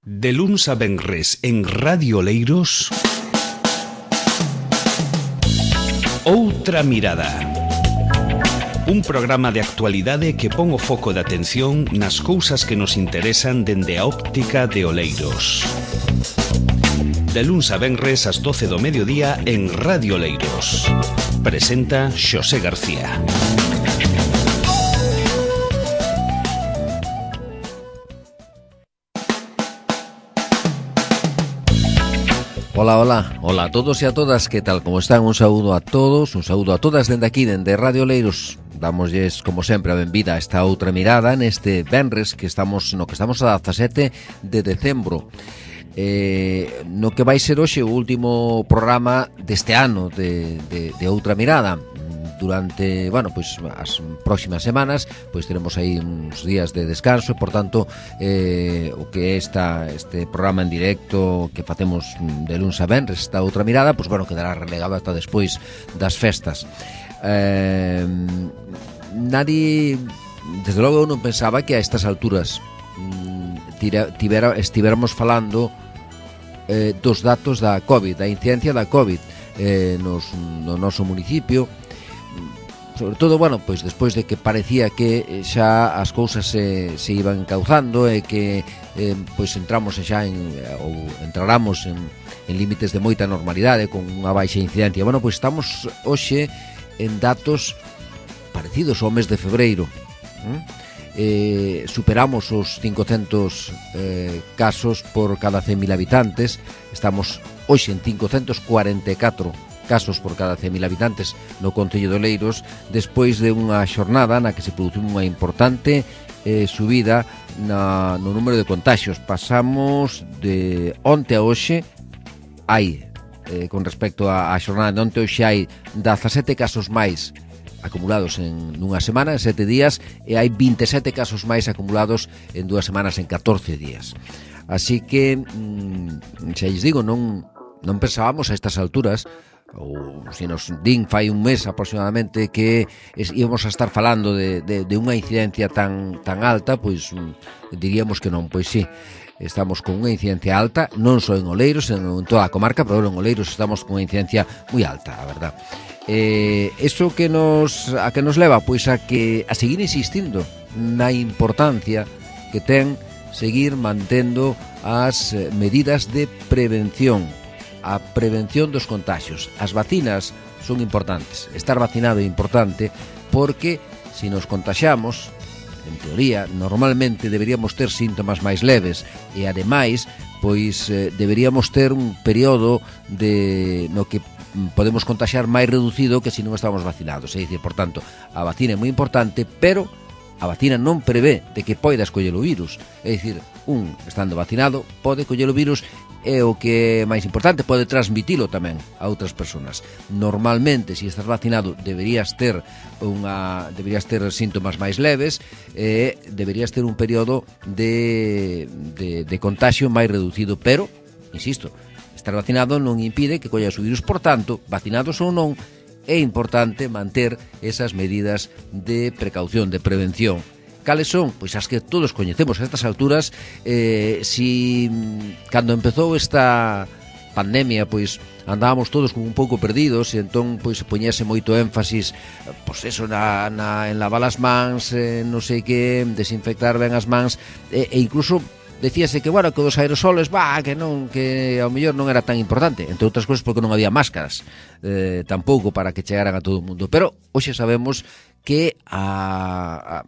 De luns a venres en Radio Oleiros, Outra Mirada. Un programa de actualidade que pon o foco de atención nas cousas que nos interesan dende a óptica de Oleiros. De luns a venres ás 12 do mediodía en Radio Oleiros. Presenta Xosé García. Hola a todos e a todas, que tal, como están? Un saúdo a todos, un saúdo a todas dende aquí, dende Radio Oleiros. Damosles, como sempre, a benvida a esta outra mirada neste venres que estamos a 17 de decembro. No que vai ser hoxe o último programa deste ano de Outra Mirada. Durante, as próximas semanas teremos aí uns días de descanso e, por tanto, o que é este programa en directo que facemos de luns a venres, esta Outra Mirada, quedará relegado ata despois das festas. Nadie, desde logo, non pensaba que a estas alturas estiveramos falando dos datos da COVID, da incidencia da COVID no noso municipio. Sobre todo, despois de que parecía que xa as cousas se iban encauzando e que entramos xa entraramos en límites de moita normalidade con unha baixa incidencia. Estamos hoxe en datos parecidos ao mes de febreiro. Superamos os 500 casos por cada 100.000 habitantes. Estamos hoxe en 544 casos por cada 100.000 habitantes no concello de Oleiros, despois de unha xornada na que se produciu unha importante subida no número de contaxios. Pasamos de onte a hoxe, con respecto á xornada de onte, hoxe hai 17 casos máis acumulados en unha semana, en 7 días, e hai 27 casos máis acumulados en 2 semanas, en 14 días. Así que, xa lles digo, non pensábamos a estas alturas, ou se nos din fai un mes aproximadamente, que íbamos a estar falando de unha incidencia tan alta, diríamos que non. Pois sí, estamos con unha incidencia alta, non só en Oleiros, en toda a comarca, pero en Oleiros estamos con unha incidencia moi alta, a verdad. Eso que nos leva a seguir insistindo na importancia que ten seguir mantendo as medidas de prevención, a prevención dos contagios. As vacinas son importantes, estar vacinado é importante, porque se nos contaxiamos, en teoría, normalmente deberíamos ter síntomas máis leves e, ademais, deberíamos ter un período no que podemos contaxiar máis reducido que se non estamos vacinados. É dicir, por tanto, a vacina é moi importante, pero a vacina non prevé de que poidas coller o virus. É dicir, estando vacinado, pode coller o virus, e o que é máis importante, pode transmitilo tamén a outras persoas. Normalmente, se estás vacinado, deberías ter síntomas máis leves e deberías ter un período de contagio máis reducido, pero, insisto, estar vacinado non impide que collas o virus. Por tanto, vacinados ou non, é importante manter esas medidas de precaución, de prevención. Cales son? As que todos coñecemos a estas alturas. Cando empezou esta pandemia, andábamos todos como un pouco perdidos, e entón poñese moito énfasis en lavar as mans, non sei que, desinfectar ben as mans, e incluso decíase que dos aerosoles, que ao mellor non era tan importante, entre outras cousas porque non había máscaras tampouco para que chegaran a todo o mundo. Pero hoxe sabemos que a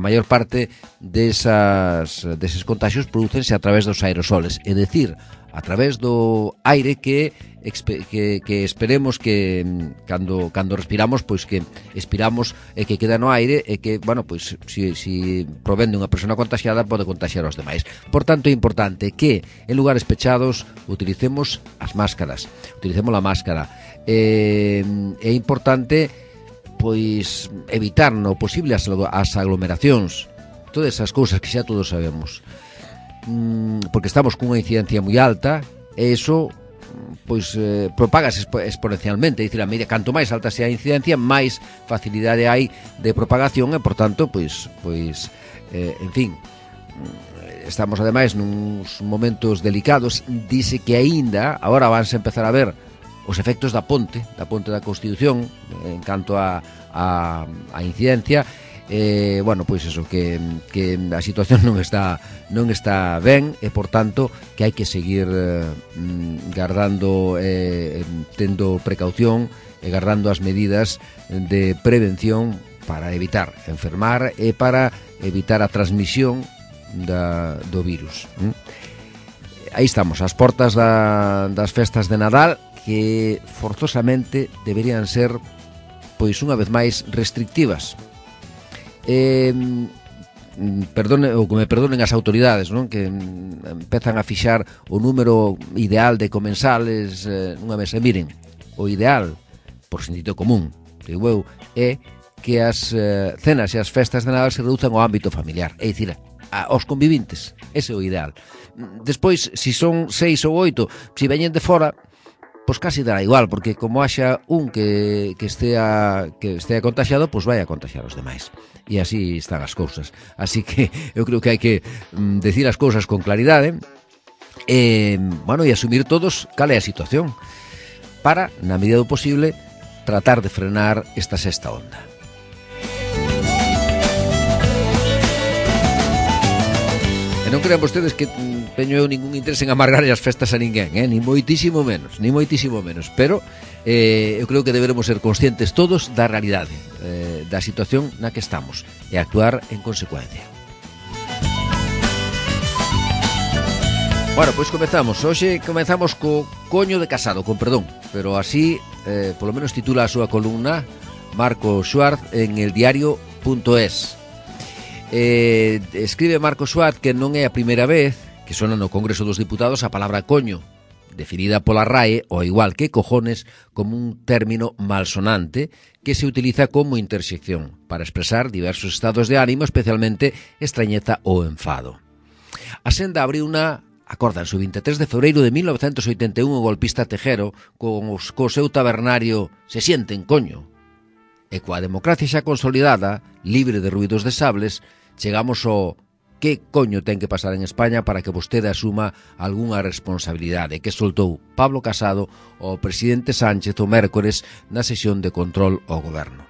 maior parte deses contagios prodúcense a través dos aerosoles, é dicir, a través do aire que esperemos que cando respiramos, que expiramos e que queda no aire, e que, si provén de unha persona contagiada, pode contagiar aos demais. Por tanto, é importante que en lugares pechados utilicemos as máscaras, utilicemos a máscara. É importante evitar no posible as aglomeracións, todas esas cousas que xa todos sabemos, porque estamos cunha incidencia moi alta, e iso propagase exponencialmente. É dicir, a medida, canto máis alta sea a incidencia, máis facilidade hai de propagación, e por tanto, en fin, estamos ademais nuns momentos delicados. Dice que aínda agora vanse empezar a ver os efectos da ponte da Constitución en canto a incidencia. Bueno, pois eso, que a situación non está ben, e por tanto que hai que seguir gardando, tendo precaución e gardando as medidas de prevención para evitar enfermar e para evitar a transmisión do virus. Aí estamos, ás portas das festas de Nadal, que forzosamente deberían ser, pois unha vez máis, restrictivas. Que me perdonen as autoridades, non? Que empezan a fixar o número ideal de comensales nunha mesa. Miren, o ideal, por sentido común, digo eu, é que as cenas e as festas de Nadal se reduzan ao ámbito familiar, é dicir, aos convivintes. Ese é o ideal. Despois, se son 6 ou 8, se veñen de fora, pois casi dará igual, porque como haxa un que estea contaxiado, pois vai a contaxiar os demais. E así están as cousas. Así que eu creo que hai que decir as cousas con claridade e asumir todos cal é a situación para, na medida do posible, tratar de frenar esta sexta onda. E non crean vostedes que teño eu ningún interés en amargar as festas a ninguén, ni moitísimo menos, pero eu creo que deberemos ser conscientes todos da realidade, da situación na que estamos, e actuar en consecuencia. Bueno, pois comezamos. Hoxe comezamos co coño de Casado, con perdón, pero así, polo menos titula a súa columna Marco Schwartz en eldiario.es. Escribe Marco Schwartz que non é a primeira vez que sona no Congreso dos Diputados a palabra coño, definida pola RAE, ao igual que cojones, como un término malsonante que se utiliza como intersección para expresar diversos estados de ánimo, especialmente extrañeza ou enfado. A senda abriu acórdanse, o 23 de febreiro de 1981, o golpista Tejero, co seu tabernario Se sienten, coño. E coa democracia xa consolidada, libre de ruidos de sables, chegamos ao que coño ten que pasar en España para que vostede asuma algunha responsabilidade que soltou Pablo Casado ao presidente Sánchez o mércores na sesión de control ao goberno.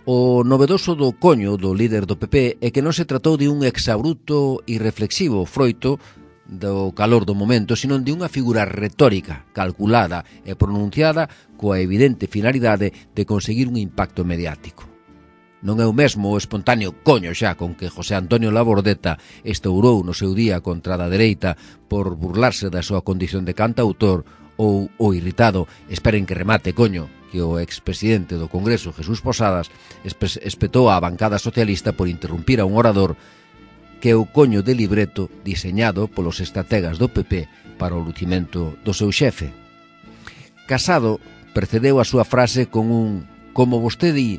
O novedoso do coño do líder do PP é que non se tratou de un exabrupto irreflexivo froito do calor do momento, sino de unha figura retórica, calculada e pronunciada coa evidente finalidade de conseguir un impacto mediático. Non é o mesmo o espontáneo coño xa con que José Antonio Labordeta estourou no seu día contra a dereita por burlarse da súa condición de cantautor, ou o irritado esperen que remate coño que o expresidente do Congreso Jesús Posadas espetou á bancada socialista por interrumpir a un orador que é o coño de libreto diseñado polos estrategas do PP para o lucimento do seu xefe. Casado precedeu a súa frase con un "como vostede",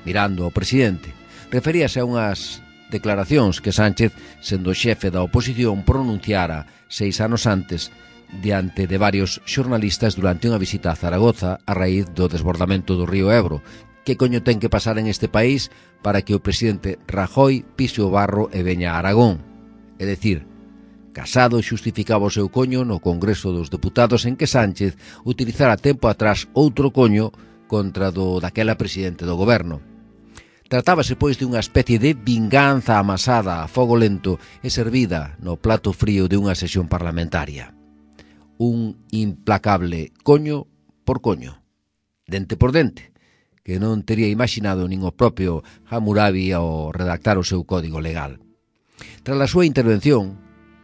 mirando ao presidente. Referíase a unhas declaracións que Sánchez, sendo xefe da oposición, pronunciara 6 anos antes diante de varios xornalistas durante unha visita a Zaragoza a raíz do desbordamento do río Ebro. Que coño ten que pasar en este país para que o presidente Rajoy pise o barro e veña a Aragón? É dicir, Casado xustificaba o seu coño no Congreso dos Deputados en que Sánchez utilizara tempo atrás outro coño contra daquela presidente do goberno. Tratábase, pois, de unha especie de vinganza amasada a fogo lento e servida no plato frío de unha sesión parlamentaria. Un implacable coño por coño, dente por dente, que non tería imaginado nin o propio Hammurabi ao redactar o seu código legal. Tras a súa intervención,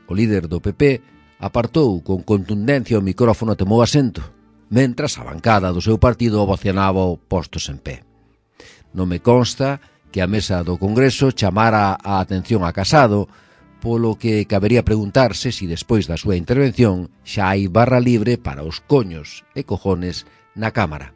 o líder do PP apartou con contundencia o micrófono e tomou asento, mentras a bancada do seu partido ovacionaba o postos en pé. Non me consta que a mesa do Congreso chamara a atención a Casado, polo que cabería preguntarse se despois da súa intervención xa hai barra libre para os coños e cojones na Cámara.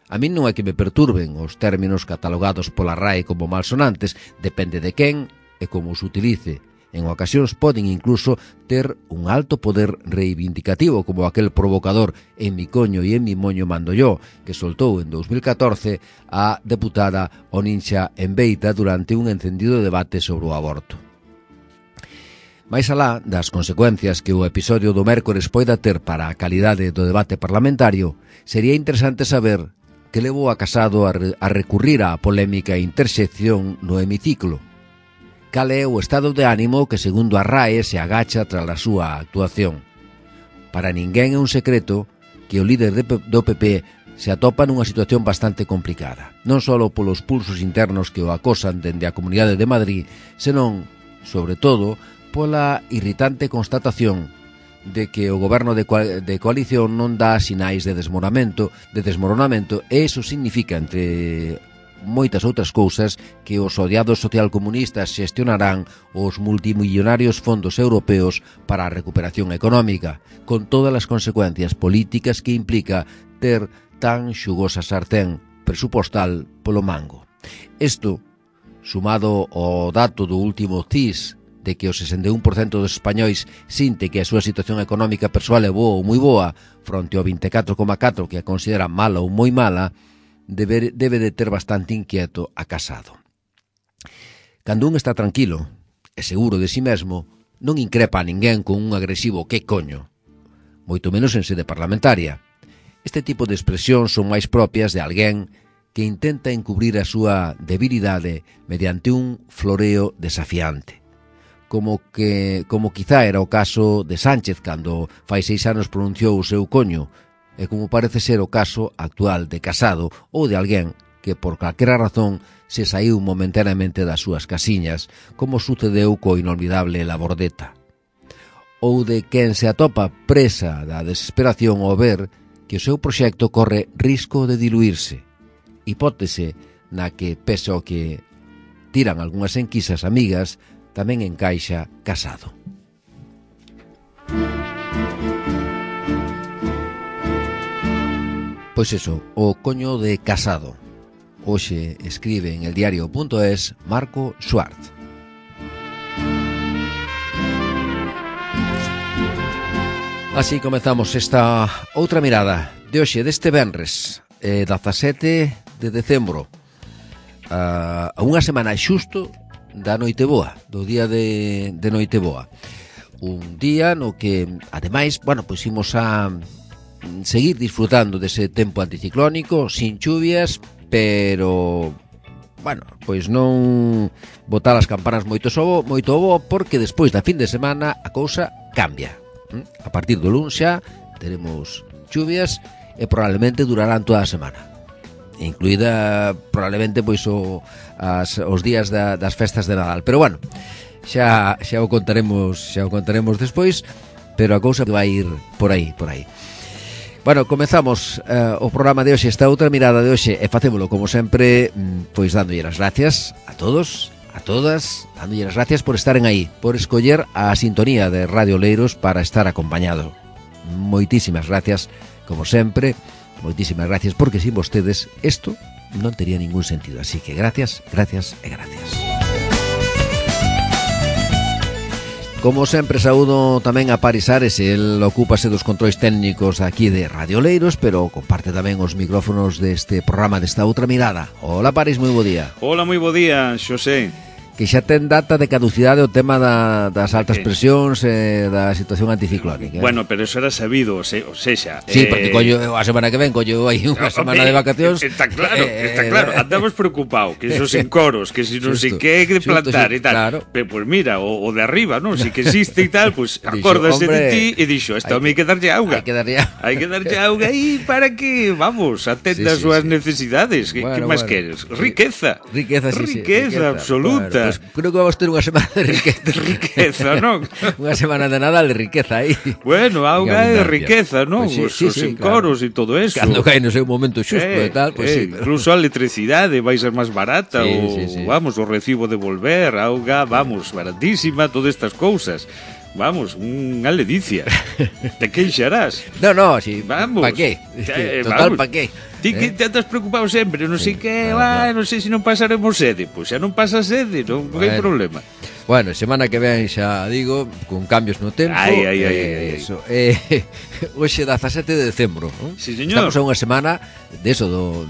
A min non é que me perturben os términos catalogados pola RAE como malsonantes, depende de quen e como os utilice. En ocasións poden incluso ter un alto poder reivindicativo, como aquel provocador "en mi coño y en mi moño mando yo", que soltou en 2014 a deputada Oninxa Enbeita durante un encendido debate sobre o aborto. Máis alá das consecuencias que o episodio do mércores poida ter para a calidade do debate parlamentario, sería interesante saber que levou a Casado a recurrir á polémica intersección no hemiciclo. Cal é o estado de ánimo que, segundo a RAE, se agacha tras a súa actuación. Para ninguén é un secreto que o líder do PP se atopa nunha situación bastante complicada, non só polos pulsos internos que o acosan dende a Comunidade de Madrid, senón, sobre todo, pola irritante constatación de que o goberno de coalición non dá sinais de desmoronamento, e iso significa, entre moitas outras cousas, que os odiados socialcomunistas xestionarán os multimillonarios fondos europeos para a recuperación económica, con todas as consecuencias políticas que implica ter tan xugosa sartén presupostal polo mango. Isto, sumado ao dato do último CIS, de que o 61% dos españois sinte que a súa situación económica persoal é boa ou moi boa, fronte ao 24,4% que a considera mala ou moi mala, debe de ter bastante inquieto a Casado. Cando un está tranquilo e seguro de si mesmo, non increpa a ninguén con un agresivo "que coño", moito menos en sede parlamentaria. Este tipo de expresións son máis propias de alguén que intenta encubrir a súa debilidade mediante un floreo desafiante. Como quizá era o caso de Sánchez cando fai 6 anos pronunciou o seu coño, e como parece ser o caso actual de Casado ou de alguén que por calquera razón se saiu momentaneamente das súas casiñas, como sucedeu co inolvidable Labordeta. Ou de quen se atopa presa da desesperación ao ver que o seu proxecto corre risco de diluirse, hipótese na que, pese ao que tiran algunhas enquisas amigas, tamén encaixa Casado. Pois eso, o coño de Casado. Hoxe escribe en eldiario.es Marco Schwartz. Así comezamos esta outra mirada de hoxe, deste venres, 17 de decembro, a unha semana xusto da Noiteboa, do día de Noiteboa. Un día no que, ademais, pois imos a seguir disfrutando dese tempo anticiclónico, sin chuvias, pero, pois non botar as campanas moito bo, porque despois da fin de semana a cousa cambia. A partir do luns xa teremos chuvias e probablemente durarán toda a semana, incluída probablemente pois os días das festas de Nadal. Pero xa o contaremos despois, pero a cousa vai ir por aí. Comezamos o programa de hoxe, esta outra mirada de hoxe, e facémolo como sempre, pois dándolle as gracias a todos, a todas, dándolle as gracias por estaren aí, por escoller a sintonía de Radio Oleiros para estar acompañado. Moitísimas gracias, como sempre. Moitísimas gracias, porque sin vostedes isto non tería ningún sentido. Así que gracias, gracias e gracias. Como sempre, saúdo tamén a Paris Ares. El ocúpase dos controis técnicos aquí de Radio Oleiros, pero comparte tamén os micrófonos deste programa, desta outra mirada. Hola, Paris, moi bo día. Hola, moi bo día, Xosé. Que xa ten data de caducidade o tema das altas presións e da situación anticiclónica. Bueno, pero eso era sabido, o sexa... Sí, porque collo a semana que ven, collo aí unha semana de vacacións. Está claro, andamos preocupados, que esos encoros, que si non sei que de plantar e tal. Claro. Pero, pues mira, o de arriba, non? Si que existe e tal, pues acórdase de ti e dixo, esta hai que darlle auga. Hai que darlle auga aí para que, vamos, atenda as súas necesidades. Que máis queres? Riqueza. Riqueza absoluta. Pues creo que vamos ter unha semana de riqueza, non? Unha semana de Nadal de riqueza aí. Bueno, auga é de riqueza, non? Os encoros e todo eso. Cando cae no seu momento xusto e tal, pues sí. Incluso a electricidade vai ser máis barata, vamos, o recibo de volver, a auga, vamos, baratísima, todas estas cousas. Vamos, unha ledicia. Te queixarás. No, si, vamos. Pa qué? Total, pa qué? Ti que te andas preocupado sempre, non sei que, non sei se non pasaremos sede. Pois xa non pasa sede, non hai problema. Bueno, semana que ven xa digo, con cambios no tempo. Eso. Hoxe 17 de decembro, non? Sí, señor. Estamos a unha semana deso do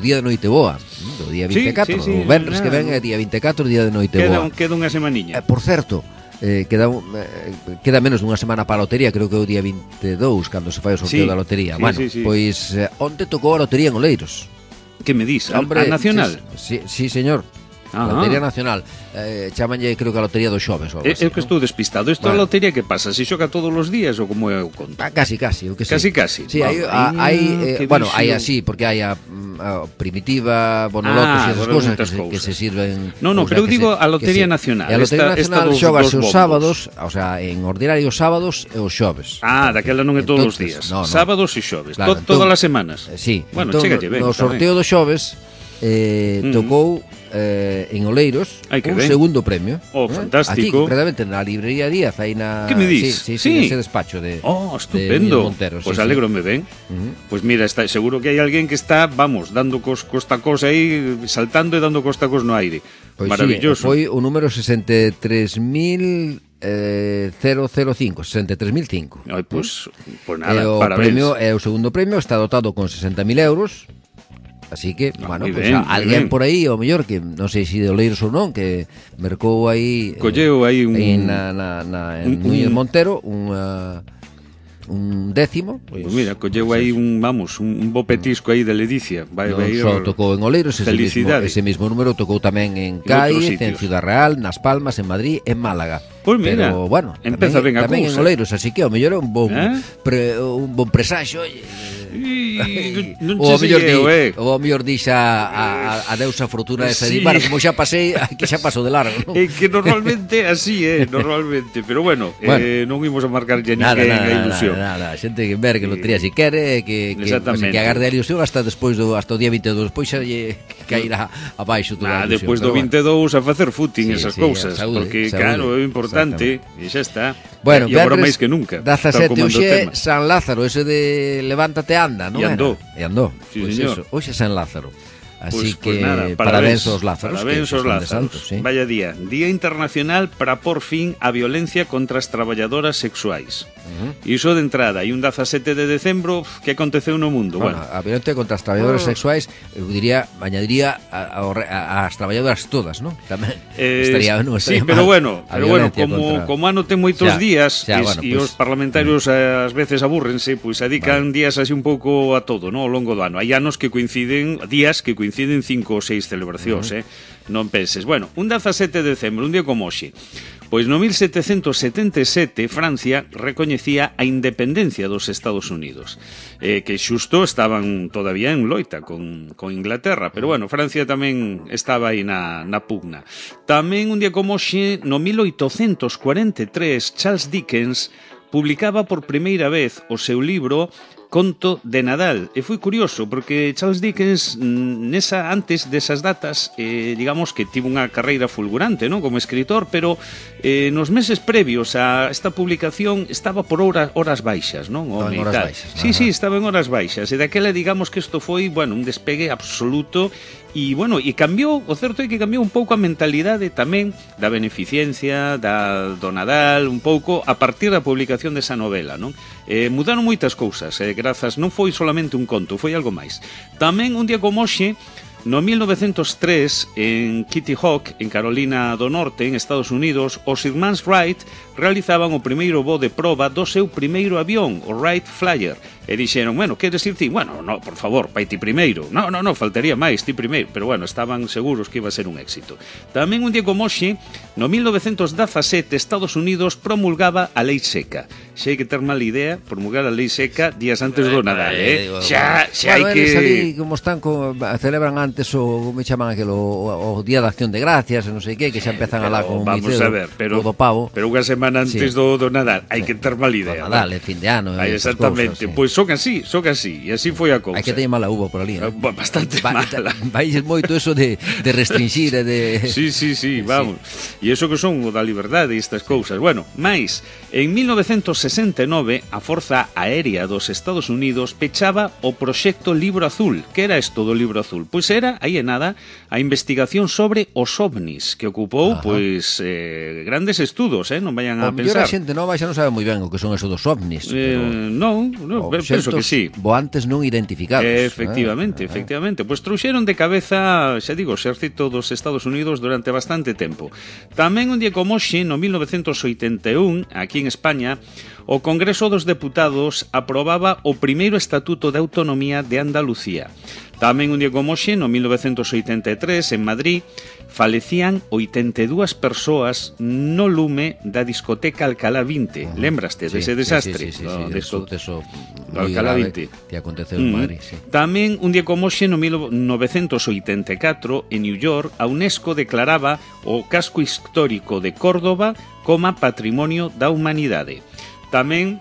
día de Noiteboa, do día 24, o venres que ven é día 24, día de Noiteboa. Queda unha semaniña. Por certo, queda menos dunha semana para a lotería, creo que é o día 22 cando se fai o sorteo da lotería. Pois onte tocou a lotería en Oleiros. Que me dis? A nacional? Sí, señor. A Lotería Nacional, chamanlle, creo que a Lotería dos Xoves. Eu que estou despistado. Isto é a lotería que pasa? Se xoga todos os días ou como é o conto? Casi, o que sei. Casi. Sí, hai así, porque hai a primitiva, bonolotos e esas cousas que se sirven. No, pero eu digo a Lotería Nacional. A Lotería Nacional xogase os sábados, o sea, en ordinario os sábados e os xoves. Daquela non é todos os días. Sábados e xoves, todas as semanas. Sí. Bueno, chégalle ben. No sorteo dos xoves tocou en Oleiros un segundo premio. Fantástico. Aquí, concretamente, na librería Díaz, aí na... Que me dis? Sí, ese despacho de estupendo. De Montero. Pois alégrome ben. Pois mira, seguro que hai alguén que está, dando costacos aí, saltando e dando costacos no aire. Maravilloso. Foi o número 63.005, 63.005. Pois nada, parabéns. O segundo premio está dotado con 60.000 euros. Así que, alguén por aí, o mellor, que non sei se de Oleiros ou non, que mercou aí... Colleu aí en Núñez Montero un décimo. Pois mira, colleu aí un bo petisco aí de ledicia. Só tocou en Oleiros, ese mismo número tocou tamén en Cádiz, en Ciudad Real, nas Palmas, en Madrid, en Málaga. Pois mira, pero, bueno, empeza ben a cousa. Tamén en Oleiros, así que o mellor é un bon presaxo, o mellor dixa a deusa fortuna esa de bueno, como xa pasei, que xa paso de largo, ¿no? É que normalmente así normalmente, pero bueno, non imos a marcar ya ninguén a ilusión. Nada, xente que ver que lotería si quere, que agarde a ilusión hasta despois hasta o día 22, despois xa lle cairá abaixo toda a ilusión. Despois do 22 a facer footing esas cousas, porque claro, é importante e xa está. Bueno, e agora máis que nunca. 17 hoxe San Lázaro, ese de levántate anda, non? E andou. Sí, pois eso, hoxe San Lázaro. Así pues que nada, parabéns aos Lázaros. Parabéns aos Lázaros. Sí. Vaya día. Día Internacional para por fin a violencia contra as traballadoras sexuais. Iso de entrada. E un 17 de decembro, que aconteceu no mundo? Bueno, a violencia contra as traballadoras sexuais, eu diría, añadiría as traballadoras todas, non? Tamén estaría mal. Sí, pero bueno, como ano ten moitos días e os parlamentarios ás veces abúrrense, pois dedican días así un pouco a todo, non? Ao longo do ano. Hai anos que coinciden, días que coinciden 5 ou 6 celebracións, non penses. Bueno, un 17 de decembro, un día como hoxe. Pois no 1777 Francia recoñecía a independencia dos Estados Unidos, que xusto estaban todavía en loita con Inglaterra, pero bueno, Francia tamén estaba aí na pugna. Tamén un día como hoxe, no 1843, Charles Dickens publicaba por primeira vez o seu libro Conto de Nadal. E foi curioso, porque Charles Dickens antes desas datas, digamos que tivo unha carreira fulgurante, non, como escritor, pero nos meses previos a esta publicación estaba por horas baixas, non? Estaba en horas baixas. Sí, estaba en horas baixas. E daquela, digamos que isto foi, bueno, un despegue absoluto. E, bueno, e cambiou, o certo é que cambiou un pouco a mentalidade tamén da beneficencia, do Nadal, un pouco a partir da publicación desa novela, non? Mudaron moitas cousas, grazas, non foi solamente un conto, foi algo máis. Tamén un día como hoxe, no 1903, en Kitty Hawk, en Carolina do Norte, en Estados Unidos, os irmáns Wright realizaban o primeiro voo de proba do seu primeiro avión, o Wright Flyer. E dixeron, bueno, queres ir ti? Bueno, no, por favor, vai ti primeiro. No, faltaría máis, ti primeiro. Pero bueno, estaban seguros que iba a ser un éxito. Tamén un día como hoxe, no 1917, Estados Unidos promulgaba a Lei Seca. Xa hai que ter mala idea, promulgar a Lei Seca días antes do Nadal, Xa hai que... Salí, como están, celebran antes o me chaman aquelo o Día de Acción de Gracias, non sei que xa empezan alá con vamos a ver, pero do pavo. Pero unha semana antes do Nadal, hai que ter mala idea. Nadal, fin de ano, exactamente. Pois son así, e así foi a cousa. Hai que ter mala uva por ali, bastante mala. Vai moito eso de restringir e de... Sí, vamos. E iso que son o da liberdade e estas cousas. Bueno, máis, en 1969, a Forza Aérea dos Estados Unidos pechaba o proxecto Libro Azul. Que era isto do Libro Azul? Pois era, aí é nada, a investigación sobre os ovnis, que ocupou, pois, grandes estudos, non vayan a pensar. A xente nova xa non sabe moi ben o que son eso dos ovnis. Non, penso que sí. Voantes non identificados. Efectivamente. Pois trouxeron de cabeza, xa digo, o exército dos Estados Unidos durante bastante tempo. Tamén un día como hoxe, no 1981, aquí en España, o Congreso dos Deputados aprobaba o primeiro Estatuto de Autonomía de Andalucía. Tamén un día como hoxe, no 1983, en Madrid, falecían 82 persoas no lume da discoteca Alcalá 20. Lembraste dese desastre? Sí, eso Alcalá 20. Que aconteceu en Madrid, sí. Tamén un día como hoxe, no 1984, en New York, a UNESCO declaraba o casco histórico de Córdoba como Patrimonio da Humanidade. Tamén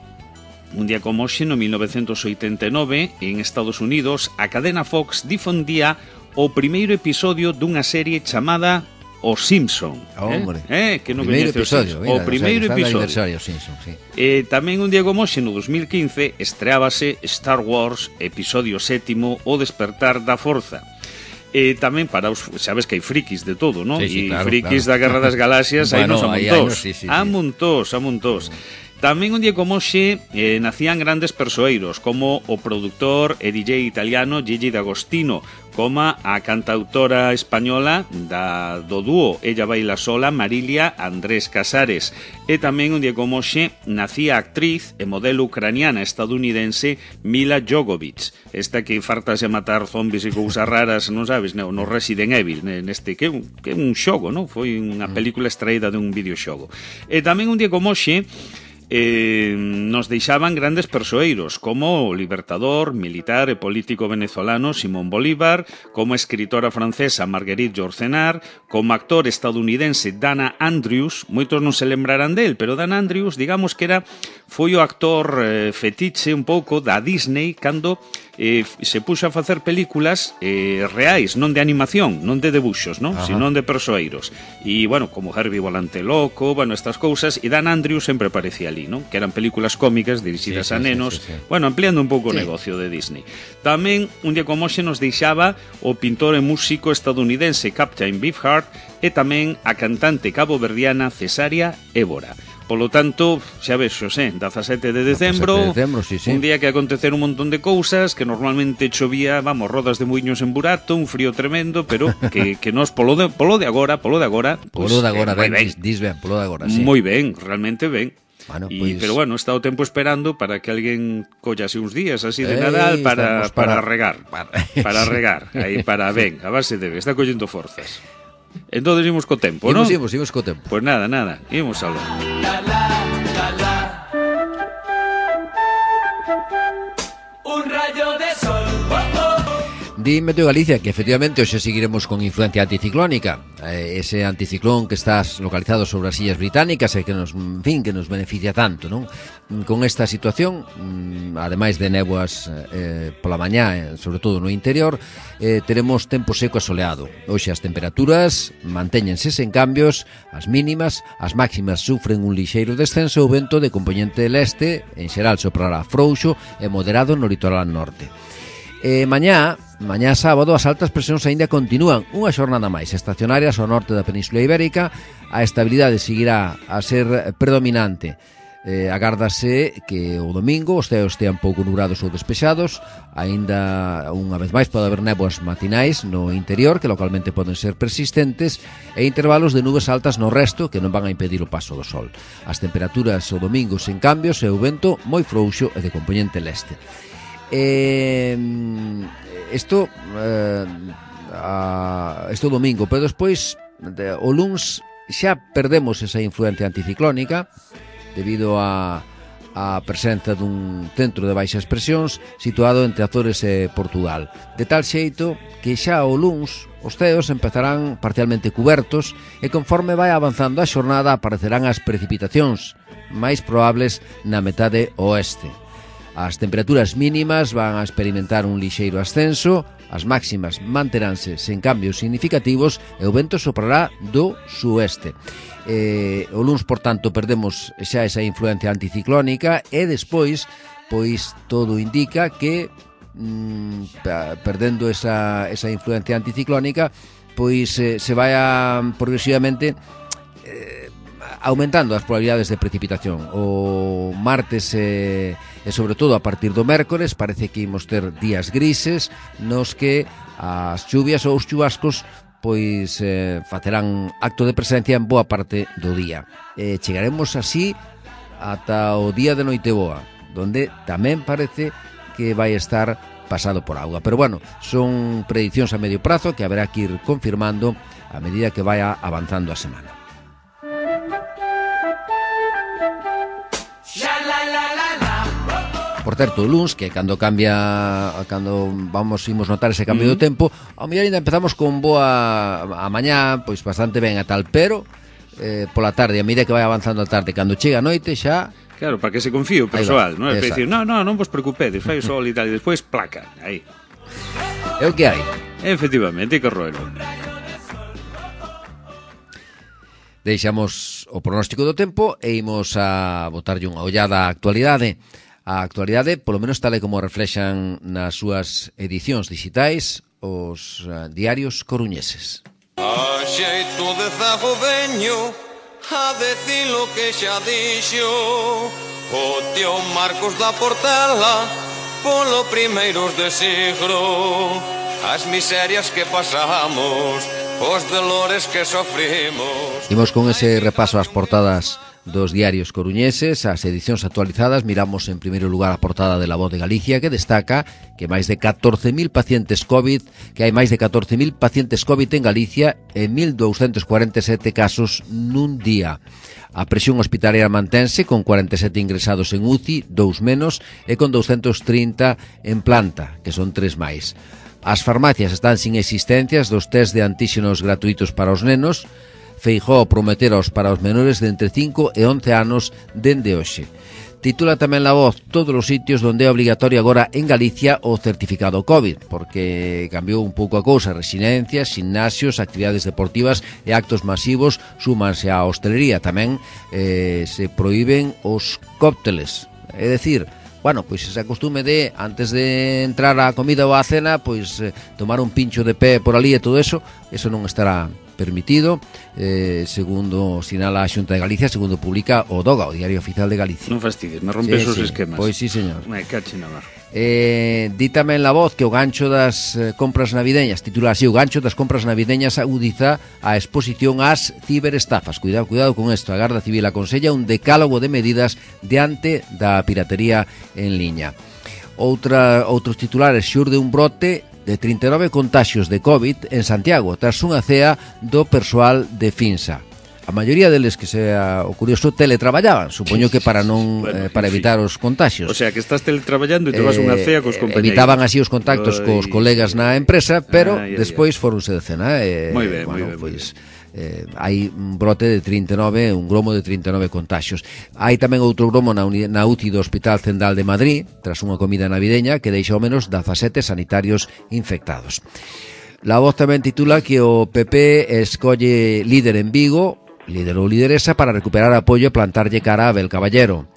un día como hoxe, no 1989, en Estados Unidos, a cadena Fox difundía o primeiro episodio dunha serie chamada Os Simpson. Hombre, que non coñece o Simpson. O primeiro episodio. Simpson, sí. Tamén un día como hoxe, no 2015, estreábase Star Wars, episodio 7, O Despertar da Forza. Tamén para os, sabes que hai frikis de todo, non? Sí, claro, frikis claro. da Guerra das Galaxias, bueno, hai nos a montós. Tamén un día como hoxe nacían grandes persoeiros, como o produtor e DJ italiano Gigi D'Agostino, como a cantautora española do dúo Ella Baila Sola, Marilia Andrés Casares. E tamén un día como hoxe nacía a actriz e modelo ucraniana estadounidense Mila Jovovich, esta que fartase a matar zombies e cousas raras, non sabes, no Resident Evil, neste que é un xogo, non? Foi unha película extraída dun videoxogo. E tamén un día como hoxe nos deixaban grandes persoeiros, como o libertador, militar e político venezolano Simón Bolívar, como a escritora francesa Marguerite Yourcenar, como actor estadounidense Dana Andrews. Moitos non se lembrarán del, pero Dana Andrews, digamos que foi o actor fetiche un pouco da Disney cando se puxo a facer películas reais, non de animación, non de debuxos, non? Sino de persoeiros. E, bueno, como Herbie Volante Loco, bueno, estas cousas, e Dan Andrews sempre aparecía ali, non? Que eran películas cómicas dirixidas a nenos, bueno, ampliando un pouco o negocio de Disney. Tamén, un día como hoxe nos deixaba o pintor e músico estadounidense Captain Beefheart e tamén a cantante caboverdiana Cesária Évora. Polo tanto, xa ves, Xosé, 17 de decembro, un día que aconteceron un montón de cousas, que normalmente chovía, vamos, rodas de muiños en burato, un frío tremendo, pero que nos polo de agora, sí. Moi ben, realmente ben. Bueno, pues... Pero bueno, está o tempo esperando para que alguén collase uns días así de Nadal para regar. Para regar, aí para ben, a base de está collendo forzas. Entonces imos co tempo, non? Imos co tempo. Pois nada, imos aló. Un rayo de sol. Dime tú, Galicia, que efectivamente hoxe seguiremos con influencia anticiclónica. Ese anticiclón que está localizado sobre as Illas Británicas e que nos, en fin, que nos beneficia tanto, non? Con esta situación, ademais de néboas pola mañá, sobre todo no interior, teremos tempo seco e soleado. Hoxe as temperaturas mantéñense sen cambios, as mínimas, as máximas sufren un lixeiro descenso, o vento de compoñente leste, en xeral soprará frouxo e moderado no litoral norte. Mañá sábado, as altas presións aínda continúan unha xornada máis estacionarias ao norte da Península Ibérica. A estabilidade seguirá a ser predominante. Agárdase que o domingo os ceos estean pouco nubrados ou despexados. Aínda unha vez máis pode haber néboas matinais no interior que localmente poden ser persistentes e intervalos de nubes altas no resto que non van a impedir o paso do sol. As temperaturas o domingo sen cambios e o vento moi frouxo e de compoñente leste. Isto domingo, pero despois o luns xa perdemos esa influencia anticiclónica debido a presenza dun centro de baixas presións situado entre Azores e Portugal, de tal xeito que xa o luns os ceos empezarán parcialmente cubertos e conforme vai avanzando a xornada aparecerán as precipitacións máis probables na metade oeste. As temperaturas mínimas van a experimentar un lixeiro ascenso, as máximas manteránse sen cambios significativos e o vento soprará do sueste. O luns, por tanto, perdemos xa esa influencia anticiclónica e despois, pois, todo indica que perdendo esa influencia anticiclónica, pois se vai progresivamente aumentando as probabilidades de precipitación. O martes e sobre todo a partir do mércores parece que imos ter días grises nos que as chuvias ou os chubascos pois facerán acto de presencia en boa parte do día. Chegaremos así ata o día de Noiteboa, donde tamén parece que vai estar pasado por auga. Pero bueno, son prediccións a medio prazo que haberá que ir confirmando a medida que vaya avanzando a semana. Por certo, o luns, que cando imos notar ese cambio do tempo, ao mellor ainda empezamos con boa a mañá, pois bastante ben a tal, pero pola tarde, a medida que vai avanzando a tarde, cando chega a noite xa... Claro, para que se confíe o persoal, non? É dicir, non vos preocupedes, fai o sol e tal, e despois placa, aí. É o que hai. Efectivamente, que roelo. Deixamos o pronóstico do tempo e imos a botarlle unha ollada á actualidade. A actualidade, polo menos tal e como reflexan nas súas edicións digitais, os diarios coruñeses. A xeito de zago veño a decir lo que xa dixo o tío Marcos da Portela polo primeiros de siglo, as miserias que pasamos, os dolores que sofrimos. Imos con ese repaso ás portadas dos diarios coruñeses, as edicións actualizadas. Miramos en primeiro lugar a portada de La Voz de Galicia, que destaca que máis de 14.000 pacientes COVID, que hai máis de 14.000 pacientes COVID en Galicia e 1.247 casos nun día. A presión hospitalaria mantense con 47 ingresados en UCI, 2 menos, e con 230 en planta, que son 3 máis. As farmacias están sin existencias dos test de antíxenos gratuitos para os nenos. Feijóo prometeros para os menores de entre 5 e 11 anos dende hoxe. Titula tamén La Voz todos os sitios onde é obligatorio agora en Galicia o certificado COVID, porque cambiou un pouco a cousa. Residencias, gimnasios, actividades deportivas e actos masivos súmanse á hostelería. Tamén se prohíben os cócteles, é dicir, bueno, pois ese acostume de, antes de entrar á comida ou á cena, pois tomar un pincho de pé por ali e todo eso non estará permitido, segundo sinala a Xunta de Galicia, segundo publica o DOGA, o Diario Oficial de Galicia. Non fastidies, me rompes os esquemas. Pois sí, señor. Me cache na mar. Di tamén La Voz que o gancho das compras navideñas, titula así: o gancho das compras navideñas agudiza a exposición ás ciberestafas. Cuidado con isto. A Garda Civil aconsella un decálogo de medidas diante da piratería en liña. Outros titulares: xurde un brote de 39 contaxios de COVID en Santiago tras unha cea do persoal de Finsa. A maioría deles, que sea o curioso, teletraballaban, supoño que para non para evitar os contaxios. O sea, que estás teletraballando e te vas unha cea cos compañeros. Evitaban así os contactos cos colegas na empresa, pero despois foronse de cena. Moi ben, pois hai un brote de 39, un gromo de 39 contaxios. Hai tamén outro gromo na UCI do Hospital Central de Madrid, tras unha comida navideña que deixa ao menos 17 sanitarios infectados. La Voz tamén titula que o PP escolle líder en Vigo, líder ou lideresa, para recuperar apoio e plantarlle cara a Abel Caballero.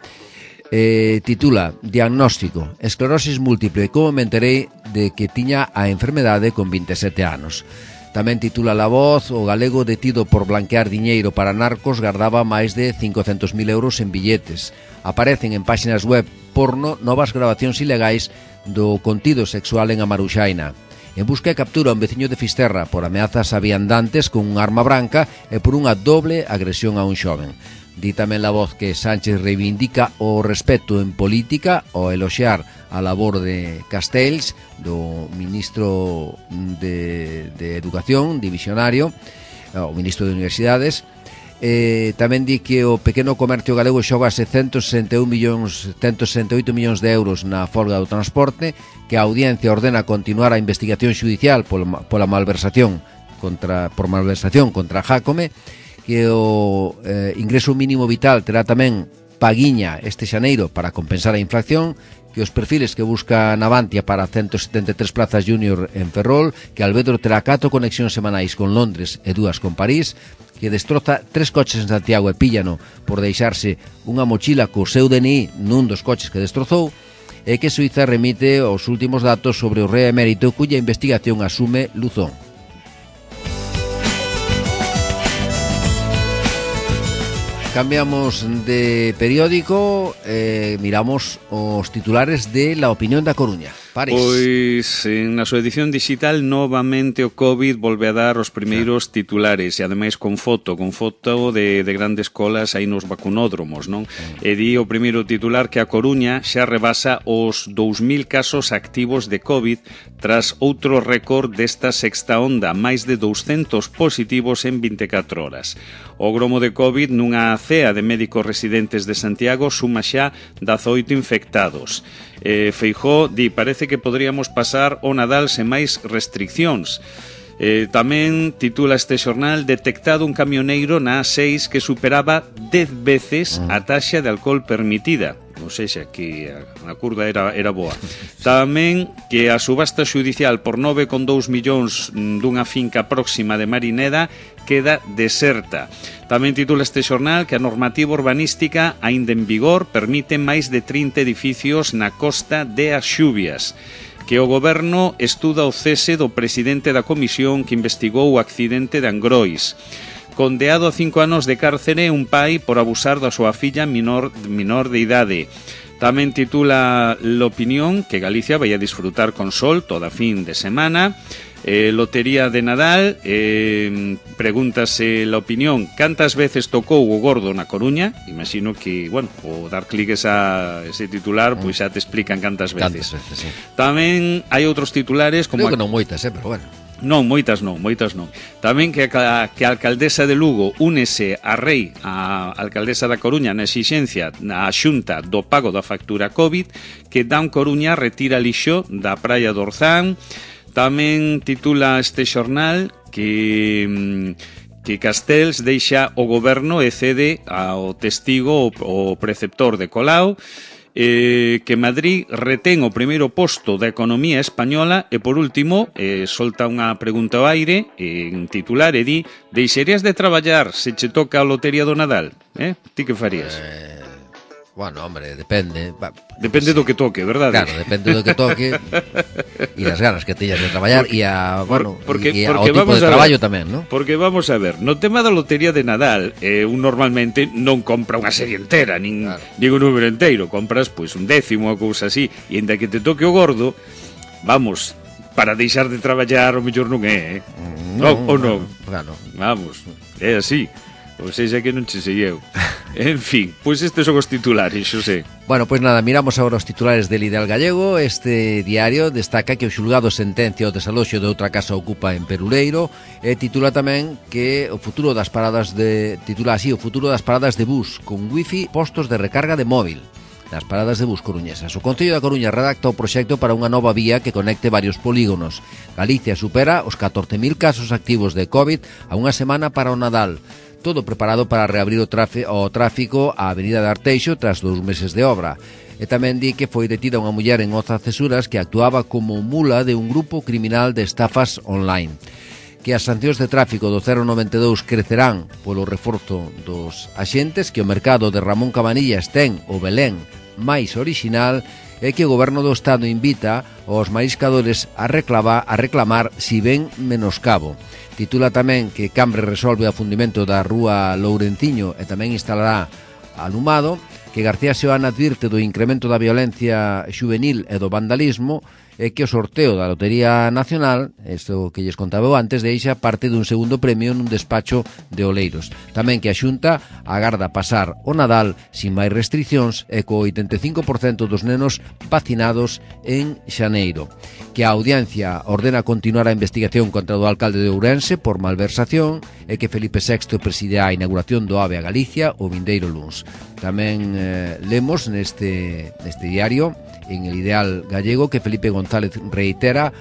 Titula: diagnóstico, esclerosis múltiple, como me enterei de que tiña a enfermedade con 27 anos. Tamén titula La Voz: o galego detido por blanquear diñeiro para narcos gardaba máis de 500.000 euros en billetes. Aparecen en páxinas web porno novas grabacións ilegais do contido sexual en A Maruxaina. En busca e captura un veciño de Fisterra por ameazas a viandantes con unha arma branca e por unha doble agresión a un xoven. Di tamén La Voz que Sánchez reivindica o respeto en política ao eloxear a labor de Castells, do ministro de Educación, divisionario, o ministro de Universidades. Tamén di que o pequeno comercio galego xoga 168 millóns de euros na folga do transporte, que a audiencia ordena continuar a investigación xudicial pola malversación contra Jácome, que o ingreso mínimo vital terá tamén paguiña este xaneiro para compensar a inflación, que os perfiles que busca Navantia para 173 plazas junior en Ferrol, que Alvedro terá 4 conexións semanais con Londres e 2 con París, que destroza 3 coches en Santiago e píllano por deixarse unha mochila co seu DNI nun dos coches que destrozou, e que Suiza remite os últimos datos sobre o rei emérito cuya investigación asume Luzón. cambiamos de periódico, miramos os titulares de La Opinión da Coruña. París. Pois na súa edición digital novamente o COVID volve a dar os primeiros titulares e ademais con foto de grandes colas aí nos vacunódromos, non? E di o primeiro titular que a Coruña xa rebasa os 2.000 casos activos de COVID tras outro récord desta sexta onda, máis de 200 positivos en 24 horas. O gromo de COVID nunha cea de médicos residentes de Santiago suma xa 18 infectados. Feijóo di, parece que podríamos pasar o Nadal sen máis restriccións. Tamén titula este xornal: detectado un camioneiro na A6 que superaba 10 veces a taxa de alcohol permitida. Ou seja, que a curva era boa. Tamén que a subasta xudicial por 9,2 millóns dunha finca próxima de Marineda queda deserta. Tamén titula este xornal que a normativa urbanística aínda en vigor permite máis de 30 edificios na costa de as Xubias. Que o goberno estuda o cese do presidente da comisión que investigou o accidente de Angrois. Condeado a 5 anos de cárcere un pai por abusar da súa filla menor de idade. Tamén titula L'Opinión que Galicia vai a disfrutar con sol toda fin de semana. Lotería de Nadal, pregúntase L'Opinión cantas veces tocou o gordo na Coruña. Imagino que, bueno, o dar cliques a ese titular, pois xa te explican cantas veces. Sí. Tamén hai outros titulares como... Creo que non moitas, pero bueno. Non, moitas non. Tamén que a alcaldesa de Lugo únese a Rei, a alcaldesa da Coruña, na exixencia na Xunta do pago da factura COVID, que Dan Coruña retira lixo da praia do Orzán. Tamén titula este xornal que Castells deixa o goberno e cede ao testigo o preceptor de Colau. Que Madrid retén o primeiro posto da economía española e, por último, solta unha pregunta ao aire en titular e di: deixarías de traballar se che toca a lotería do Nadal? Ti que farías? Bueno, hombre, depende. Depende do que toque, verdade? Claro, depende do que toque e das ganas que teñas de traballar e ao tipo de traballo tamén, non? Porque vamos a ver, no tema da lotería de Nadal, un normalmente non compra unha serie entera, nin un número inteiro, compras pois un décimo ou cousa así, e ainda que te toque o gordo, vamos, para deixar de traballar o mellor non é, non, ou non? Claro. Vamos, é así. Ou seja que non che sei eu. En fin, pois estes son os titulares, Xosé. Bueno, pois nada, miramos agora os titulares del Ideal Gallego. Este diario destaca que o xulgado sentencia o desaloxo de outra casa ocupa en Peruleiro e titula tamén que o futuro das paradas de bus con wifi, postos de recarga de móvil nas paradas de bus coruñesas. O Concello da Coruña redacta o proxecto para unha nova vía que conecte varios polígonos. Galicia supera os 14.000 casos activos de COVID a unha semana para o Nadal. Todo preparado para reabrir o tráfico á Avenida de Arteixo tras 2 meses de obra. E tamén di que foi detida unha muller en Oza Cesuras que actuaba como mula de un grupo criminal de estafas online. Que as sancións de tráfico do 092 crecerán polo reforzo dos axentes, que o mercado de Ramón Cabanillas ten o Belén máis orixinal e que o Goberno do Estado invita aos mariscadores a reclamar si ven menoscabo. Titula tamén que Cambre resolve o afundimento da rúa Lourenciño e tamén instalará alumado, que García Seoane advirte do incremento da violencia xuvenil e do vandalismo e que o sorteo da Lotería Nacional, isto que lles contaba antes, deixa parte dun segundo premio nun despacho de Oleiros. Tamén que a Xunta agarda pasar o Nadal sin máis restriccións e co 85% dos nenos vacinados en xaneiro. Que a Audiencia ordena continuar a investigación contra o alcalde de Ourense por malversación e que Felipe VI preside a inauguración do AVE a Galicia o vindeiro luns. Tamén lemos neste diario, en El Ideal Gallego, que Felipe González reitera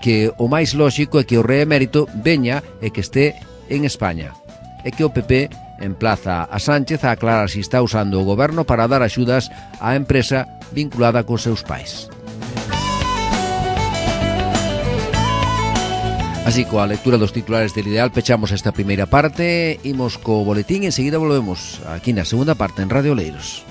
que o máis lóxico é que o rei emérito veña e que este en España, e que o PP emplaza a Sánchez a aclarar se está usando o goberno para dar axudas á empresa vinculada cos seus pais. Así, coa lectura dos titulares del Ideal pechamos esta primeira parte, imos co boletín e enseguida volvemos aquí na segunda parte en Radio Oleiros.